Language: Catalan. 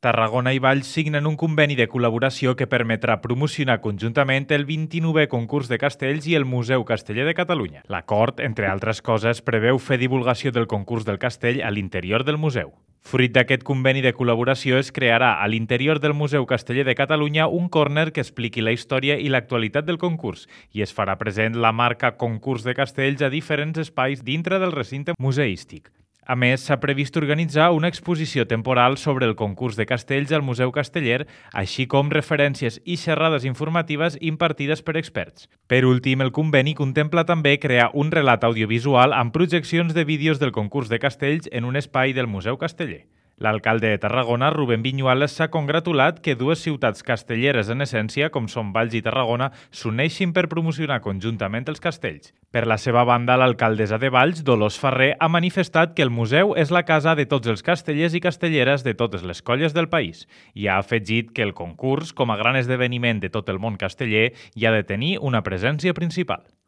Tarragona i Valls signen un conveni de col·laboració que permetrà promocionar conjuntament el 29è concurs de castells i el Museu Casteller de Catalunya. L'acord, entre altres coses, preveu fer divulgació del concurs del castell a l'interior del museu. Fruit d'aquest conveni de col·laboració es crearà a l'interior del Museu Casteller de Catalunya un córner que expliqui la història i l'actualitat del concurs i es farà present la marca Concurs de Castells a diferents espais dintre del recinte museístic. A més, s'ha previst organitzar una exposició temporal sobre el concurs de castells al Museu Casteller, així com referències i xerrades informatives impartides per experts. Per últim, el conveni contempla també crear un relat audiovisual amb projeccions de vídeos del concurs de castells en un espai del Museu Casteller. L'alcalde de Tarragona, Rubén Viñuales, s'ha congratulat que dues ciutats castelleres en essència, com són Valls i Tarragona, s'uneixin per promocionar conjuntament els castells. Per la seva banda, l'alcaldessa de Valls, Dolors Ferrer, ha manifestat que el museu és la casa de tots els castellers i castelleres de totes les colles del país i ha afegit que el concurs, com a gran esdeveniment de tot el món casteller, hi ha de tenir una presència principal.